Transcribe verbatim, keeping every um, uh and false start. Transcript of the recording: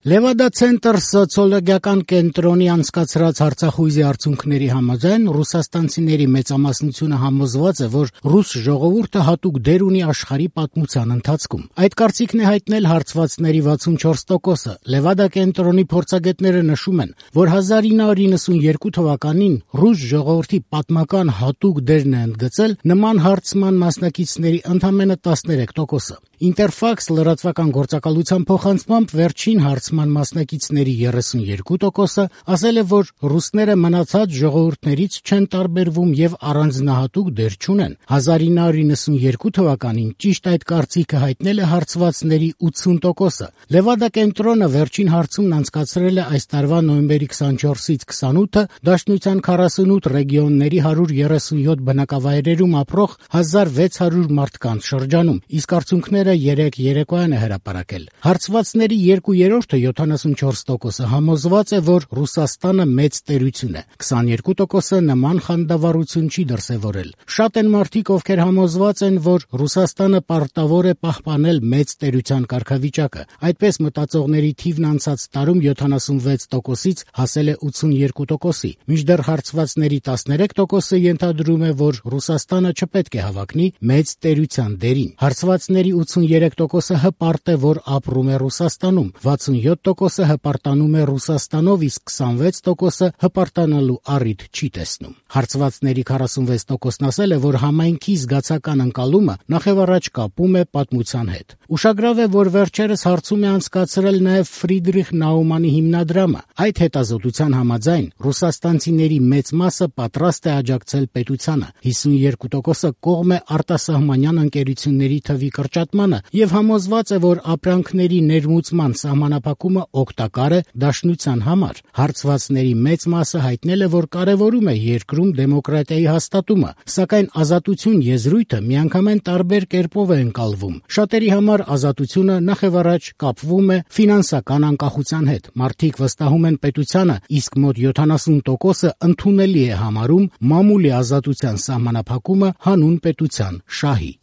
Լևադա ցենտր սոցիոլոգիական կենտրոնի անցկացրած հարցախույզի արդյունքների համաձայն ռուսաստանցիների մեծամասնությունը համոզված է, որ ռուս ժողովուրդը հատուկ դեր ունի աշխարհի պատմության ընթացքում։ Այդ կարծիքն է հայտնել հարցվածների վաթսունչորս տոկոսը։ Լևադա կենտրոնի փորձագետները նշում են, որ հազար ինը հարյուր նվսունյերկու թվականին ռուս ժողովրդի պատմական հատուկ դերն է ընդգծել նման հարցման մասնակիցների ընդամենը տասներեք տոկոսը։ Ինտերֆաքս լրատվական գործակալության փոխանցմամբ վերջին հարցման մասնակիցների երեսունյերկու տոկոսը ասել է, որ ռուսները մնացած ժողովուրդներից չեն տարբերվում եւ առանձնահատուկ դեր չունեն։ հազար ինը հարյուր նվսունյերկու թվականին ճիշտ այդ կարծիքը հայտնել է հարցվածների ութսուն տոկոսը։ Լևադա կենտրոնը վերջին հարցումն անցկացրել է այս տարվա նոյեմբերի քսանչորսից քսանութը Դաշնության քառասունութ ռեգիոնների հարյուր երեսունյոթ բնակավայրերում ապրող հազար վեց հարյուր մարդկանց շրջանում, իսկ արդյունքները երեք երեկոյան է հրապարակել։ Հարցվածների երկու երրորդը յոթանասունչորս տոկոսը համոզված է, որ Ռուսաստանը մեծ տերություն է։ քսաներկու տոկոսը նման խանդավառություն չի դրսևորել։ Շատ են մարդիկ, ովքեր համոզված են, որ Ռուսաստանը պարտավոր է պահպանել մեծ տերության կարգավիճակը։ Այդպես մտածողների թիվն անցած տարում յոթանասունվեց տոկոսից հասել է ութսունյերկու տոկոսի, մինչդեռ հարցվածների տասներեք տոկոսը ենթադրում է, որ Ռուսաստանը չպետք է հավակնի մեծ տերության դերին։ Հարցվածների ութսունյերեք տոկոսը հպարտ է, որ ապրում է Ռուսաստանում, վաթսունյոթ տոկոսը հպարտանում է Ռուսաստանով, իսկ քսանվեց տոկոսը հպարտանալու առիթ չի տեսնում։ Հարցվածների քառասունվեց տոկոսն ասել է, որ համայնքի զգացական ընկալումը նախևառաջ կապում է պատմության հետ։ Ուշագրավ է, որ վերջերս հարցում է անցկացրել նաև Ֆրիդրիխ Նաումանի հիմնադրամը։ Այդ հետազոտության համաձայն ռուսաստանցիների մեծ մասը պատրաստ է աջակցել պետությանը, հիսունյերկու տոկոսը կողմ է արտասահմանյան ընկերությունների թվի կրճատմանը եւ համոզված է, որ ապրանքների ներմուծման սահմանափակումը օգտակար է Դաշնության համար։ Հարցվածների մեծ մասը հայտնել է, որ կարևորում է երկրում դեմոկրատիայի հաստատումը, սակայն ազատություն եզրույթը միանգամայն տարբեր կերպով է ընկալվում։ Շատերի համար ազատությունը նախևառաջ կապվում է ֆինանսական անկախության հետ։ Մարդիկ վստահում են պետությանը, իսկ մոտ յոթանասուն տոկոսը ընդունելի է համարում մամուլի ազատության սահմանափակումը հանուն պետության շահի։